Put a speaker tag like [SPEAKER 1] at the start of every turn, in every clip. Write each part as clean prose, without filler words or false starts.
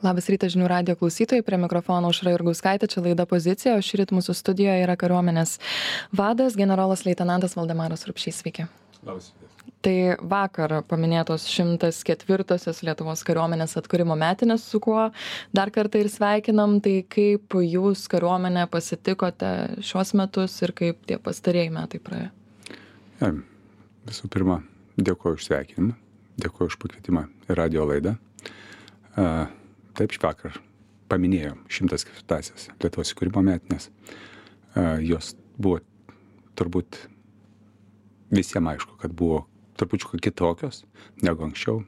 [SPEAKER 1] Labas rytas žinių radijo klausytojai, prie mikrofono Aušra Jurgauskaitė, čia laida Pozicija, o šįryt mūsų studijoje yra kariuomenės vadas, generolas leitenantas Valdemaras Rupšys. Sveiki.
[SPEAKER 2] Labas rytas.
[SPEAKER 1] Tai vakar paminėtos 104-osios Lietuvos kariuomenės atkūrimo metinės, su kuo dar kartą ir sveikinam. Tai kaip jūs kariuomenę pasitikote šios metus ir kaip tie pastarieji metai praėjo?
[SPEAKER 2] Ja, visų pirma, dėkuoju už sveikinimą, dėkuoju už pakvietimą į radio laidą. Taip, švakar paminėjom 104-asias Lietuvos įkūrimo metinės. Jos buvo turbūt visiems aišku, kad buvo trupučiuką kitokios negu anksčiau.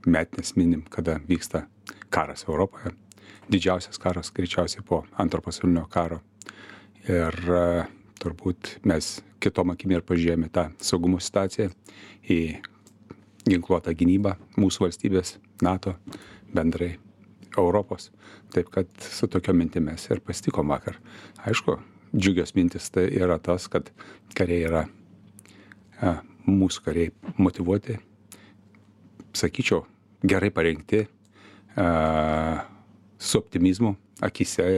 [SPEAKER 2] Metinės minim, kada vyksta karas Europoje. Didžiausias karas greičiausiai po Antro pasaulinio karo. Ir turbūt mes kitom akim ir pažiūrėjome tą saugumo situaciją į ginkluotą gynybą mūsų valstybės, NATO, bendrai Europos. Taip kad su tokio mintimis ir pasitikom vakar. Aišku, džiugios mintis tai yra tas, kad kariai yra, mūsų kariai motyvuoti, sakyčiau, gerai parengti, su optimizmu akyse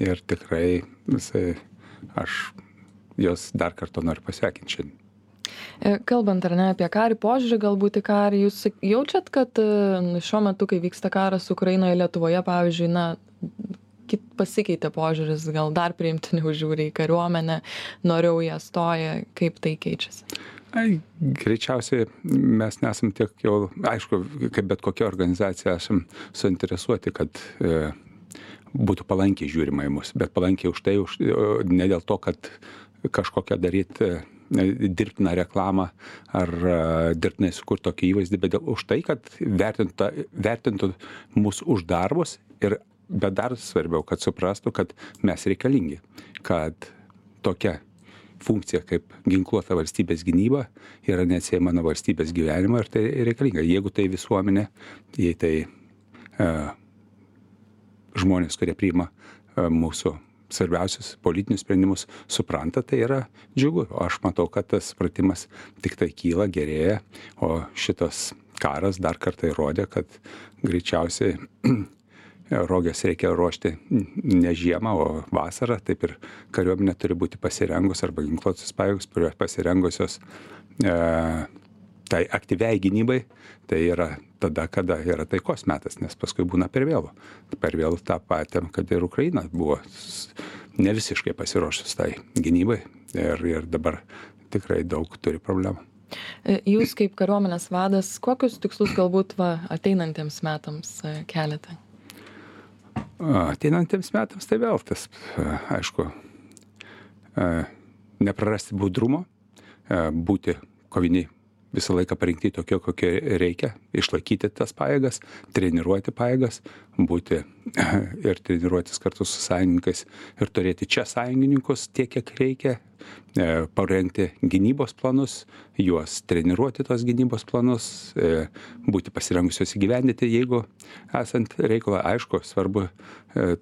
[SPEAKER 2] ir tikrai visai aš jos dar kartą noriu pasveikinti šiandien.
[SPEAKER 1] Kalbant ar ne apie karį, požiūrį galbūt į karį, jūs jaučiat, kad šiuo metu, kai vyksta karas Ukrainoje, Lietuvoje, pavyzdžiui, pasikeitė požiūris, gal dar priimtiniau žiūri į kariuomenę, noriau ją stoja, kaip tai keičiasi?
[SPEAKER 2] Greičiausiai mes nesam tiek jau, aišku, kaip bet kokia organizacija esam suinteresuoti, kad būtų palankiai žiūrima į mus, bet palankiai už tai, ne dėl to, kad kažkokią daryti dirbtiną reklamą ar dirbtinai sukurti tokį įvaizdį, bet už tai, kad vertintų mūsų už darbus bet dar svarbiau, kad suprastų, kad mes reikalingi, kad tokia funkcija kaip ginkluota valstybės gynyba yra neatsiejama nuo valstybės gyvenimo ir tai reikalinga. Jeigu tai visuomenė, jei tai žmonės, kurie priima mūsų svarbiausius politinius sprendimus, supranta, tai yra džiugu. O aš matau, kad tas supratimas tik tai kyla, gerėja, o šitas karas dar kartą įrodė, kad greičiausiai roges reikia ruošti ne žiemą, o vasarą. Taip ir kariuomenė turi būti pasirengus arba ginkluotos pajėgos, kurios pasirengusios tai aktyviai gynybai, tai yra tada, kada yra taikos metas, nes paskui būna per vėlu. Per vėlu tą patėm, kad ir Ukraina buvo ne visiškai pasiruošus tai gynybai ir dabar tikrai daug turi problemų.
[SPEAKER 1] Jūs kaip kariuomenės vadas, kokius tikslus galbūt ateinantiems metams keliate?
[SPEAKER 2] Ateinantiems metams tai vėl tas, aišku, neprarasti budrumo, būti koviniai visą laiką parinkti tokio, kokie reikia, išlaikyti tas pajėgas, treniruoti pajėgas, būti ir treniruotis kartu su sąjungininkais ir turėti čia sąjungininkus tiek, kiek reikia, parengti gynybos planus, juos treniruoti tos gynybos planus, būti pasirengusios įgyvendinti, jeigu esant reikalą. Aišku, svarbu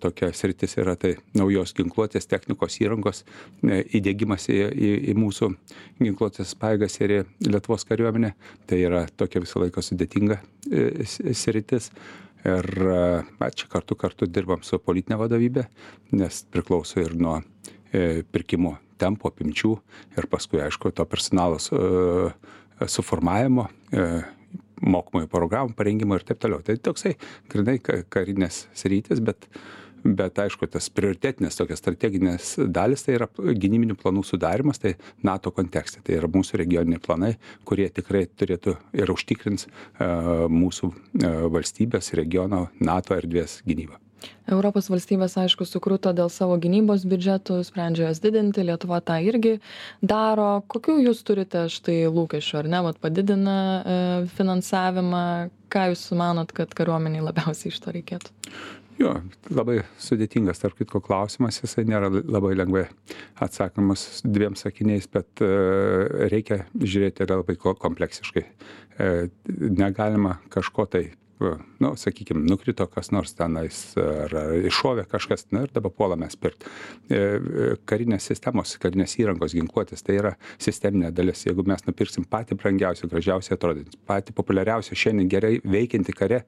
[SPEAKER 2] tokia sritis yra tai naujos ginkluotės technikos įrangos įdiegimas į mūsų ginkluotės pajėgas ir į Lietuvos kariuomenę. Tai yra tokia visą laiką sudėtinga sritis. Ir čia kartu dirbam su politinė vadovybė, nes priklauso ir nuo pirkimo tempo, apimčių ir paskui, aišku, to personalo suformavimo, mokomųjų programų parengimo ir taip toliau. Tai toksai grynai karinės sritis, bet aišku, tas prioritetinės tokias strateginės dalis, tai yra gynybinių planų sudarimas, tai NATO kontekste. Tai yra mūsų regioniniai planai, kurie tikrai turėtų ir užtikrins mūsų valstybės, regiono, NATO erdvės gynybą.
[SPEAKER 1] Europos valstybės, aišku, sukruto dėl savo gynybos biudžetų, sprendžia jas didinti, Lietuva tą irgi daro. Kokių jūs turite štai lūkesčių, ar ne? Padidina finansavimą. Ką jūs manot, kad kariuomeniai labiausiai iš to reikėtų?
[SPEAKER 2] Jo, labai sudėtingas, tarp kitko, klausimas, jisai nėra labai lengvai atsakomas dviem sakiniais, bet reikia žiūrėti labai kompleksiškai. Negalima kažko tai nu, sakykime, nukrito kas nors tenais, ar iššovė kažkas, na ir dabar puolame pirkti. Karinės sistemos, karinės įrangos ginkluotės, tai yra sisteminė dalis. Jeigu mes nupirksim patį brangiausią, gražiausią atrodantį, patį populiariausią šiandien gerai veikiantį kare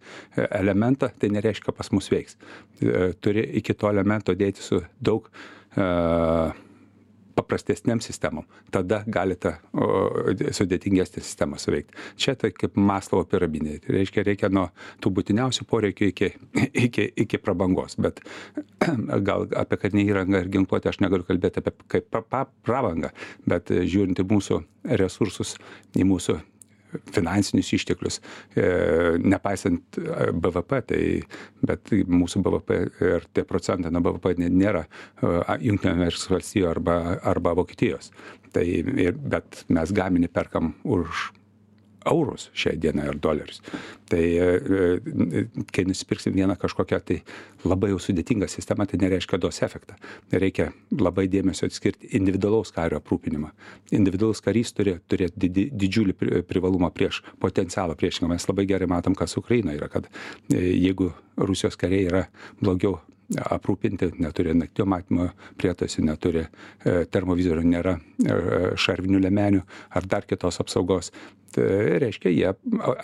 [SPEAKER 2] elementą, tai nereiškia, pas mus veiks. Turi iki to elemento dėti su daug paprastesniam sistemom, tada galite sudėtingesnę sistemą suveikti. Čia tai kaip Maslovo piramidė. Tai reikia nuo tų būtiniausių poreikių iki prabangos. Bet gal apie karinę įrangą ir ginkluotę aš negaliu kalbėti apie kaip prabangą, bet žiūrint į mūsų resursus, į mūsų finansinius išteklius, nepaisant BVP, bet mūsų BVP ir tie procentai nuo BVP nėra Jungtinių Amerikos valstijų arba Vokietijos. Bet mes gaminį perkam už eurus šią dieną ir dolerius. Tai kai nusipirksim vieną kažkokią tai labai jau sudėtingą sistemą, tai nereiškia duos efektą. Reikia labai dėmesio atskirti individualaus kario aprūpinimą. Individualus karys turi turėti didžiulį privalumą prieš potencialą priešingą. Mes labai gerai matom, kas Ukraina yra, kad jeigu Rusijos kariai yra blogiau aprūpinti, neturi naktinio matymo prietaisų, neturi termovizorių, nėra šarvinių liemenių ar dar kitos apsaugos. Tai reiškia, jie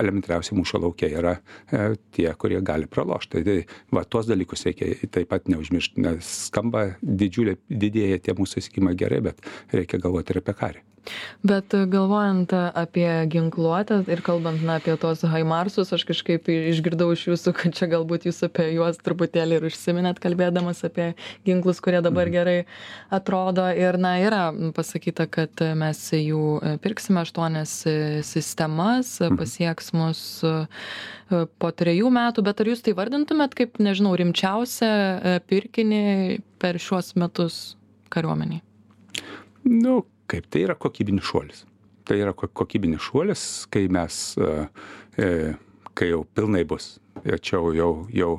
[SPEAKER 2] elementariausiai mūšio laukia yra tie, kurie gali pralošti. Tai va, tuos dalykus reikia taip pat neužmiršti, nes skamba didėja tie mūsų įsigijimai gerai, bet reikia galvoti ir apie karį.
[SPEAKER 1] Bet galvojant apie ginkluotę ir kalbant apie tos Haimarsus, aš kažkaip išgirdau iš jūsų, kad čia galbūt jūs apie juos truputėlį ir užsiminėt, kalbėdamas apie ginklus, kurie dabar gerai atrodo. Ir yra pasakyta, kad mes jų pirksime 8 sistemas, pasieks mus po 3 metų, bet ar jūs tai vardintumėt kaip, nežinau, rimčiausią pirkinį per šiuos metus kariuomeniai?
[SPEAKER 2] Nu, kaip tai yra kokybinis šuolis. Tai yra kokybinis šuolis, kai mes, kai jau pilnai bus. Ir čia jau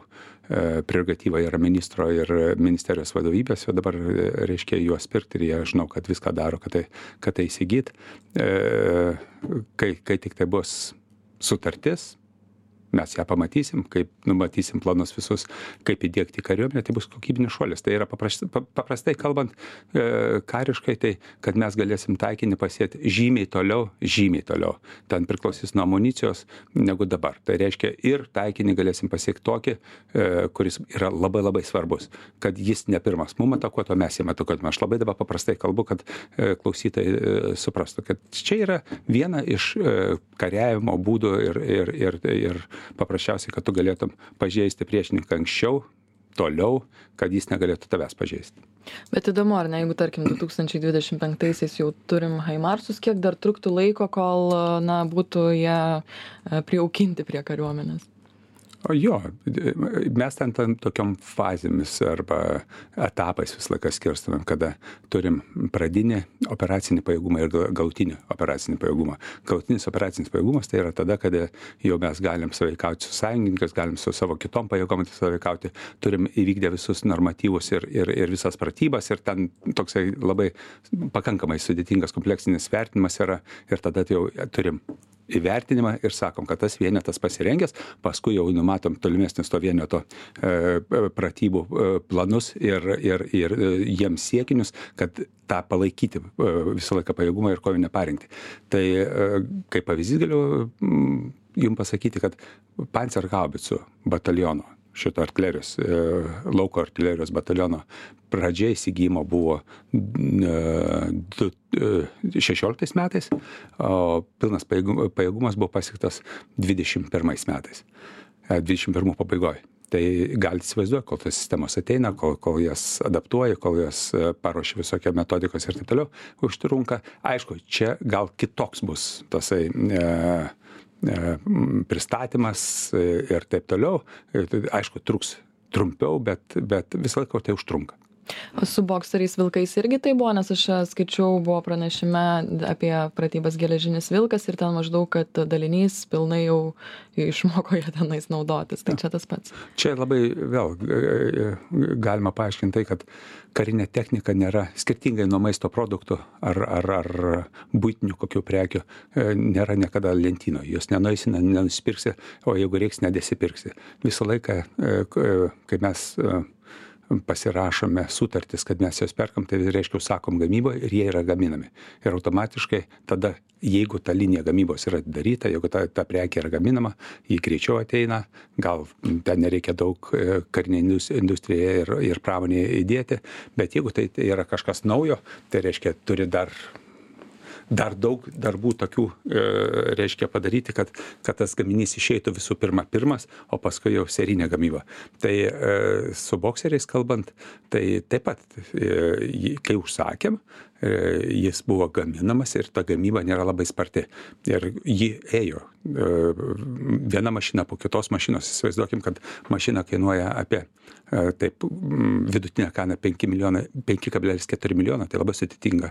[SPEAKER 2] prerogatyva yra ministro ir ministerijos vadovybės, o dabar reiškia juos pirkti ir jie žinau, kad viską daro, kad tai įsigyt. Kai tik tai bus sutartis, mes ją pamatysim, kaip numatysim planus visus, kaip įdiegti kariuomenę, tai bus kokybinis šuolis. Tai yra paprastai kalbant kariškai, tai kad mes galėsim taikinį pasiekti žymiai toliau. Ten priklausys nuo amunicijos negu dabar. Tai reiškia ir taikinį galėsim pasiekti tokį, kuris yra labai labai svarbus, kad jis ne pirmas mum atakuotų, mes jam atakuotume. Aš labai dabar paprastai kalbu, kad klausytojai suprastų, kad čia yra viena iš kariavimo būdų ir paprasčiausiai, kad tu galėtum pažeisti priešininką anksčiau, toliau, kad jis negalėtų tavęs pažeisti.
[SPEAKER 1] Bet įdomu, ar ne, jeigu tarkim 2025-aisiais jau turim Haimarsus, kiek dar truktų laiko, kol būtų jie prijaukinti prie kariuomenės?
[SPEAKER 2] O jo, mes ten tokiom fazėmis arba etapais visą laiką skirstumėm, kada turim pradinį operacinį pajėgumą ir galutinį operacinį pajėgumą. Galutinis operacinis pajėgumas tai yra tada, kada jau mes galim sąveikauti su sąjungininkais, galim su savo kitom pajėgom sąveikauti, turim įvykdę visus normatyvus ir visas pratybas ir ten toksai labai pakankamai sudėtingas kompleksinis vertinimas yra ir tada jau turim įvertinimą ir sakom, kad tas vienetas pasirengęs, paskui jau numatom tolimesnis to vieneto pratybų planus ir jiems siekinius, kad tą palaikyti visą laiką pajėgumą ir kovinę parengtį. Tai kaip pavyzdys galiu jums pasakyti, kad Panzerhaubicų bataliono, šito artilerijos, lauko artilerijos bataliono pradžia įsigijimo buvo 16 metais, o pilnas pajėgumas buvo pasiektas 21 metais, 21 pabaigoje. Tai galite įsivaizduoti, kol tos sistemos ateina, kol jas adaptuoja, kol jas paruošia visokie metodikos ir taip toliau, užtrunka. Aišku, čia gal kitoks bus tasai pristatymas ir taip toliau. Aišku, truks trumpiau, bet visą laiką tai užtrunka.
[SPEAKER 1] O su bokseriais vilkais irgi tai buvo, nes aš skaičiau, buvo pranešime apie pratybas Geležinis vilkas ir ten maždaug, kad dalinys pilnai jau išmoko jie tenais naudotis. Tai čia tas pats.
[SPEAKER 2] Čia labai vėl galima paaiškinti tai, kad karinė technika nėra, skirtingai nuo maisto produktų ar buitinių kokių prekių, nėra niekada lentyno. Jos nenueisi, nenusipirksi, o jeigu reiks, nedėsipirksi. Visą laiką, kai mes pasirašome sutartis, kad mes jos perkam, tai reiškia, sakom gamyboje ir jie yra gaminami. Ir automatiškai tada, jeigu ta linija gamybos yra daryta, jeigu ta prekė yra gaminama, jį greičiau ateina, gal ten nereikia daug karinė industrija ir pramonėje įdėti, bet jeigu tai yra kažkas naujo, tai reiškia, turi dar daug darbų tokių, reiškia padaryti, kad tas gaminys išeitų visų pirmas, o paskui jau serinė gamyba. Tai su bokseriais kalbant, tai taip pat, kai užsakėm, jis buvo gaminamas ir ta gamyba nėra labai sparti. Ir ji ėjo viena mašina po kitos mašinos. Įsivaizduokim, kad mašina kainuoja apie taip vidutinė kaina 5,4 milijono, tai labai sudėtinga.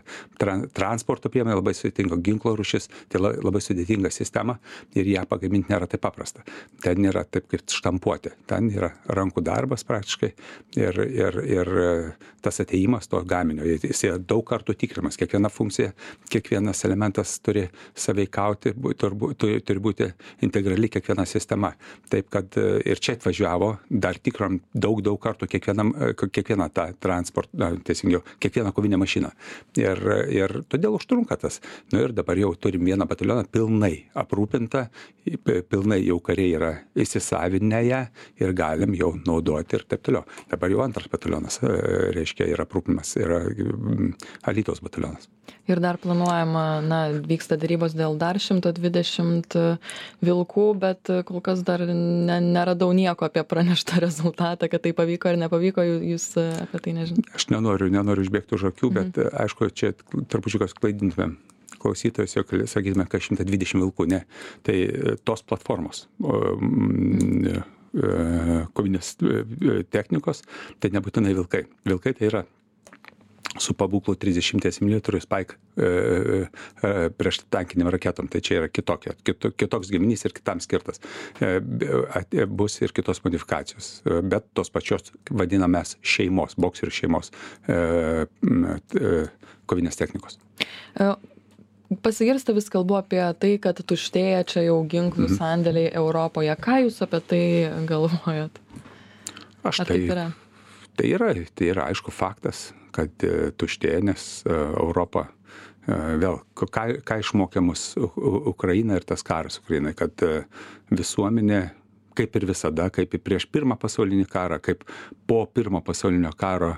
[SPEAKER 2] Transporto priemonė labai sudėtinga, ginklo rūšis, tai labai sudėtinga sistema ir ją pagaminti nėra taip paprasta. Ten nėra taip kaip štampuoti, ten yra rankų darbas praktiškai ir tas atėjimas to gaminio. Jis yra daug kartų tikrinamas, kiekviena funkcija, kiekvienas elementas turi sąveikauti, turi būti integrali kiekviena sistema. Taip kad ir čia atvažiavo, dar tikrom daug kartų kiekvieną tą transportą, teisingiau, kiekvieną kovinę mašiną. Ir todėl užtrunka tas. Ir dabar jau turim vieną batalioną pilnai aprūpintą, pilnai jau kariai yra įsisavinę ją ir galim jau naudoti ir taip toliau. Dabar jau antras batalionas, reiškia, yra aprūpinimas, yra Alytaus batalionas.
[SPEAKER 1] Ir dar planuojama, vyksta darybos dėl dar 120 vilkų, bet kol kas dar neradau nieko apie praneštą rezultatą, kad tai pavyko ar nepavyko, jūs apie tai nežinote.
[SPEAKER 2] Aš nenoriu išbėgti už akių, bet aišku, čia trupučiukas klaidintumėm klausytojus, jau sakytume, kad 120 vilkų, ne. Tai tos platformos kovinės technikos, tai nebūtinai vilkai. Vilkai tai yra su pabūklu 30 mm Spike prieš tankinėm raketom, tai čia yra kitoks gaminys ir kitam skirtas. Bus ir kitos modifikacijos, bet tos pačios vadinamės šeimos, bokserių šeimos kovinės technikos.
[SPEAKER 1] Pasigirsta vis kalbu apie tai, kad tuštėja čia jau ginklų sandėliai Europoje. Ką jūs apie tai galvojat?
[SPEAKER 2] Tai yra aišku faktas, kad tuštėja, nes Europa vėl, ką išmokė mus Ukraina ir tas karas Ukrainai, kad visuomenė, kaip ir visada, kaip ir prieš pirmą pasaulinį karą, kaip po pirmo pasaulinio karo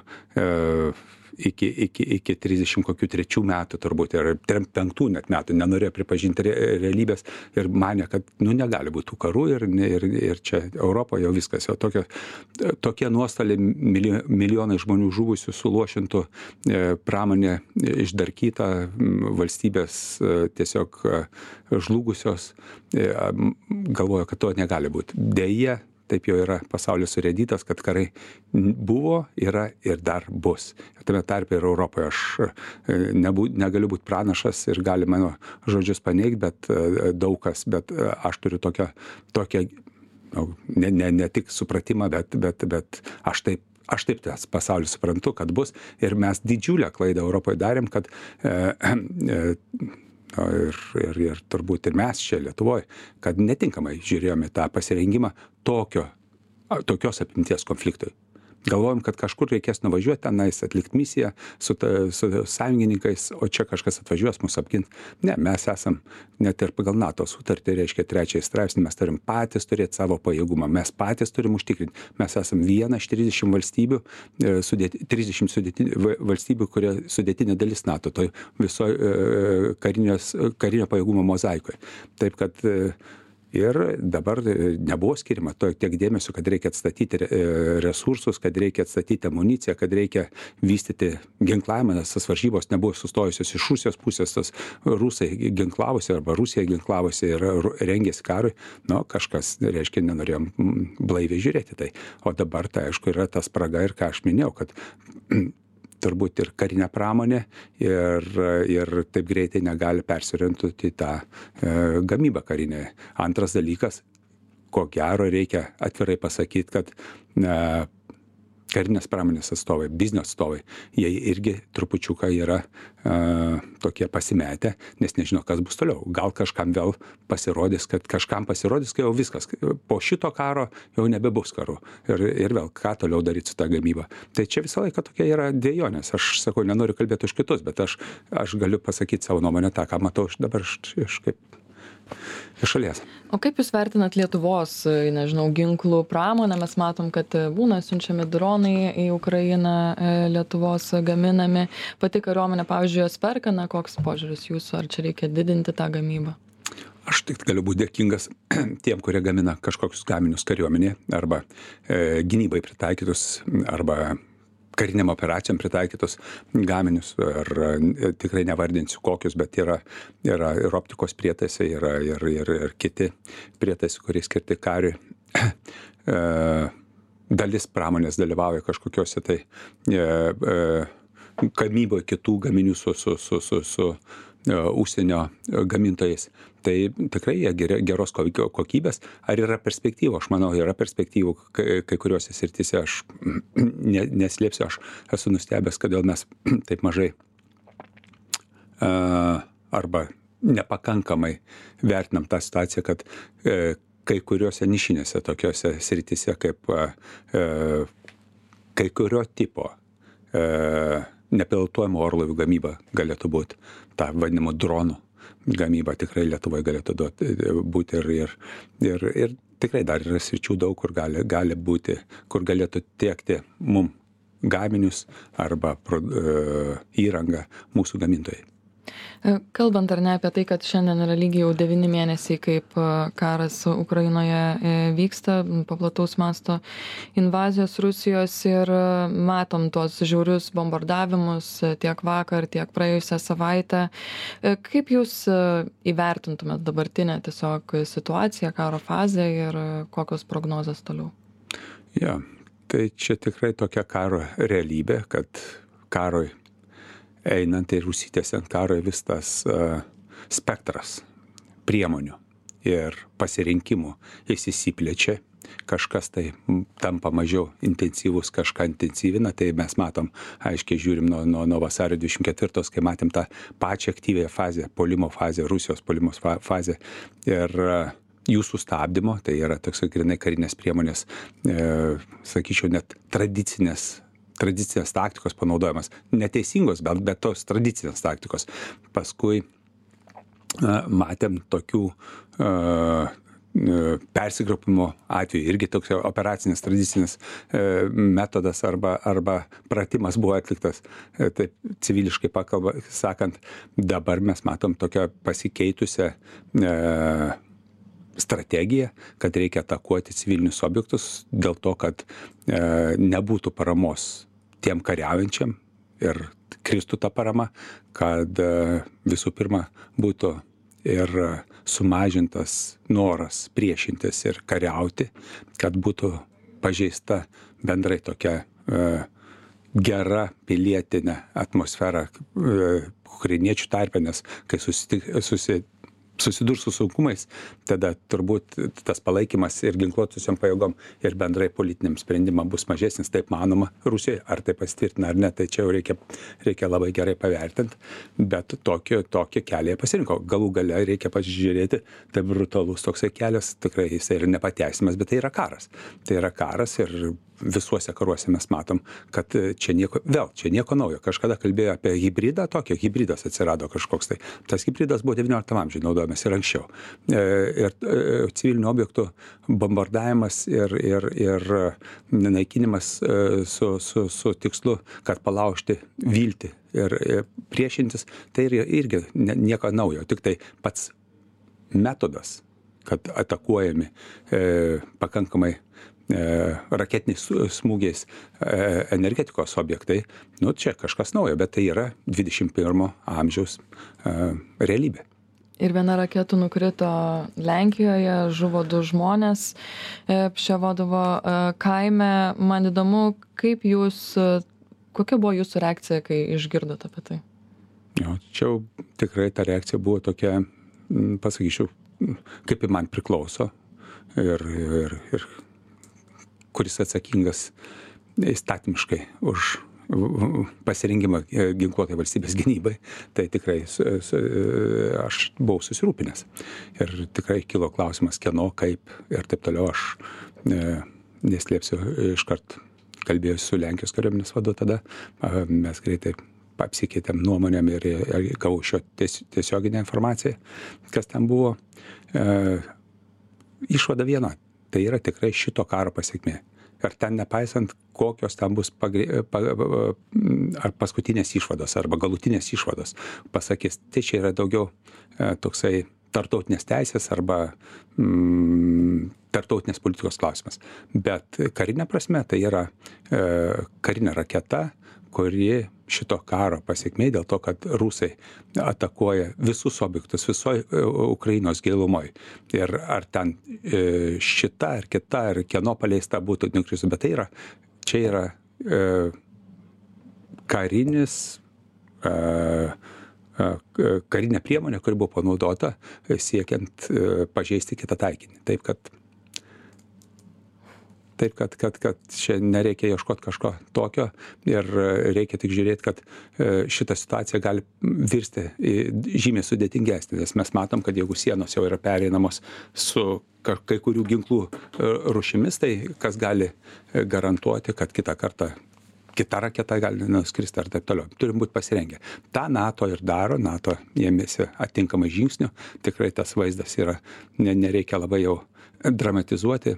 [SPEAKER 2] iki 33 metų turbūt ir 35 net metų nenorėjo pripažinti realybės ir manė, kad negali būti tų karų ir čia Europoje jau viskas, jau tokie nuostoliai, milijonai žmonių žuvusių, suluošintų, pramonė išdarkyta, valstybės tiesiog žlugusios, galvojo, kad to negali būti. Deja, taip jau yra pasaulis surėdytas, kad karai buvo, yra ir dar bus. Ir tame tarpe ir Europoje aš negaliu būti pranašas ir gali mano žodžius paneigti, bet daug kas, bet aš turiu tokią ne tik supratimą, bet aš taip tas pasaulį suprantu, kad bus. Ir mes didžiulę klaidą Europoje darėm, kad ir turbūt ir mes čia Lietuvoje, kad netinkamai žiūrėjome tą pasirengimą tokios apimties konfliktui. Galvojom, kad kažkur reikės nuvažiuoti tenais, atlikti misiją su sąjungininkais, o čia kažkas atvažiuos mus apginti. Ne, mes esam net ir pagal NATO sutartį, reiškia 3 straipsnį, mes turim patys turėti savo pajėgumą, mes patys turim užtikrinti. Mes esam viena iš 30 valstybių, 30 valstybių, kurie sudėtinė dalis NATO, toj visoje karinio pajėgumo mozaikoje. Taip kad Ir dabar nebuvo skiriama tiek dėmesio, kad reikia atstatyti resursus, kad reikia atstatyti amuniciją, kad reikia vystyti ginklavimą, nes tas varžybos nebuvo sustojusios iš Rusijos pusės, tas rusai ginklavosi arba Rusija ginklavosi ir rengėsi karui. Nu, kažkas, reiškia, nenorėjom blaiviai žiūrėti tai. O dabar tai, aišku, yra ta spraga ir ką aš minėjau, kad turbūt ir karinė pramonė ir taip greitai negali persiorientuoti į tą gamybą karinę. Antras dalykas, ko gero reikia atvirai pasakyti, kad karinės pramonės atstovai, biznio atstovai, jie irgi trupučiuką yra tokie pasimetę, nes nežino, kas bus toliau. Gal kažkam vėl pasirodys, kai jau viskas, po šito karo jau nebebus karų. Ir vėl, ką toliau daryti su tą gamybą. Tai čia visą laiką tokia yra dvejonės. Aš sakau, nenoriu kalbėti už kitus, bet aš galiu pasakyti savo nuomonę tą, ką matau dabar iš šalies.
[SPEAKER 1] O kaip Jūs vertinat Lietuvos, nežinau, ginklų pramonę? Mes matom, kad būna siunčiami dronai į Ukrainą, Lietuvos gaminami. Pati kariuomenė, pavyzdžiui, jos perka, koks požiūris Jūsų, ar čia reikia didinti tą gamybą?
[SPEAKER 2] Aš tik galiu būti dėkingas tiem, kurie gamina kažkokius gaminius kariuomenėje arba gynybai pritaikytus arba kariniam operacijom pritaikytus gaminius, ir tikrai nevardinsiu kokius, bet yra ir optikos prietaisai, yra ir kiti prietaisai, kurie skirti kariui. Dalis pramonės dalyvauja kažkokiuose tai gamyboje kitų gaminių su užsienio gamintojais. Tai tikrai jie geros kokybės. Ar yra perspektyvų? Aš manau, yra perspektyvų kai kuriuose srityse. Aš neslėpsiu, aš esu nustebęs, kodėl mes taip mažai arba nepakankamai vertinam tą situaciją, kad kai kuriuose nišinėse tokiuose srityse kaip kai kurio tipo nepilotuojamų orlaivių gamyba galėtų būti, ta vadinama dronų gamyba tikrai Lietuvoje galėtų būti ir tikrai dar yra sričių daug, kur gali būti, kur galėtų tiekti mum gaminius arba įrangą mūsų gamintojai.
[SPEAKER 1] Kalbant ar ne apie tai, kad šiandien yra lygiai jau 9 mėnesiai, kaip karas Ukrainoje vyksta, paplataus masto invazijos Rusijos, ir matom tuos žiaurius bombardavimus tiek vakar, tiek praėjusią savaitę. Kaip Jūs įvertintumėt dabartinę tiesiog situaciją, karo fazę ir kokios prognozės toliau?
[SPEAKER 2] Ja, tai čia tikrai tokia karo realybė, kad karui einant ir užsitęsiant karui vis tas spektras priemonių ir pasirinkimų išsiplečia. Kažkas tai tampa mažiau intensyvus, kažką intensyvina, tai mes matom, aiškiai žiūrim nuo vasario 24, kai matėm tą pačią aktyvėją fazę, puolimo fazę, Rusijos puolimo fazę ir jų sustabdymo, tai yra toks grinai karinės priemonės, sakyčiau, net tradicinės taktikos panaudojimas. Neteisingos, bet tos tradicinės taktikos. Paskui matėm tokių persigrupimo atveju, irgi toks operacinis tradicinis metodas arba pratimas buvo atliktas, taip civiliškai sakant. Dabar mes matom tokią pasikeitusią strategija, kad reikia atakuoti civilinius objektus dėl to, kad nebūtų paramos tiem kariaujančiam ir kristų ta parama, kad visų pirma būtų ir sumažintas noras priešintis ir kariauti, kad būtų pažeista bendrai tokia gera pilietinė atmosfera ukrainiečių tarpe, nes kai susidurs su sunkumais, tada turbūt tas palaikymas ir ginkluotusiam pajėgom ir bendrai politiniam sprendimam bus mažesnis, taip manoma Rusijoje, ar tai pasitvirtina ar ne, tai čia jau reikia labai gerai pavertinti, bet tokį kelią pasirinko. Galų gale reikia pasižiūrėti, tai brutalus toksai kelias, tikrai jis yra nepateisimas, bet tai yra karas. Tai yra karas ir visuose karuose mes matom, kad čia nieko naujo. Kažkada kalbėjo apie hibridą, hibridas atsirado kažkoks tai. Tas hibridas buvo 19 amžiuje naudojamas ir anksčiau. Ir civilinių objektų bombardavimas ir naikinimas su tikslu, kad palaužti viltį ir priešintis, tai irgi nieko naujo. Tik tai pats metodas kad atakuojami pakankamai raketiniais smūgiais energetikos objektai, nu čia kažkas naujo, bet tai yra 21 amžiaus realybė.
[SPEAKER 1] Ir viena raketų nukrito Lenkijoje, žuvo 2 žmonės Pševodovo kaime. Man įdomu, kokia buvo jūsų reakcija, kai išgirdote apie tai?
[SPEAKER 2] Jo, čia tikrai ta reakcija buvo tokia, pasakyčiau, kaip ir man priklauso ir kuris atsakingas įstatymiškai už pasirengimą ginkluotai valstybės gynybai, tai tikrai aš buvau susirūpinęs. Ir tikrai kilo klausimas, kieno, kaip ir taip toliau. Aš neslėpsiu, iškart kalbėjau su Lenkijos kariuomenės vadu tada, mes greitai apsikeitėm nuomonėm ir gavau šio tiesioginę informaciją, kas ten buvo. Išvada viena, tai yra tikrai šito karo pasekmė. Ir ten nepaisant, kokios ten bus ar paskutinės išvados, arba galutinės išvados, pasakys, tai čia yra daugiau toksai tartautinės teisės arba tartautinės politikos klausimas. Bet karinė prasme tai yra karinė raketa, kuri šito karo pasekmė dėl to, kad rusai atakuoja visus objektus, visoje Ukrainos gilumoj. Ir ar ten šita, ar kita, ar kieno paleista būtų nukristų, bet tai yra, čia yra karinė priemonė, kuri buvo panaudota siekiant pažeisti kitą taikinį. Taip, kad čia nereikia ieškoti kažko tokio ir reikia tik žiūrėti, kad šita situacija gali virsti žymiai sudėtingesnė, nes mes matom, kad jeigu sienos jau yra pereinamos su kai kurių ginklų rūšimis, tai kas gali garantuoti, kad kitą kartą kita raketa gali nuskristi ar taip toliau. Turim būti pasirengę. Ta NATO ir daro, NATO ėmėsi atitinkamai žingsnių, tikrai tas vaizdas yra, nereikia labai jau dramatizuoti,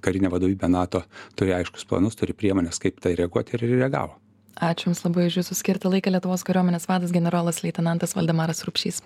[SPEAKER 2] karinė vadovybė NATO turi aiškus planus, turi priemonės, kaip tai reaguoti ir reagavo.
[SPEAKER 1] Ačiū Jums labai už Jūsų skirtą laiką. Lietuvos kariuomenės vadas generolas leitenantas Valdemaras Rupšys.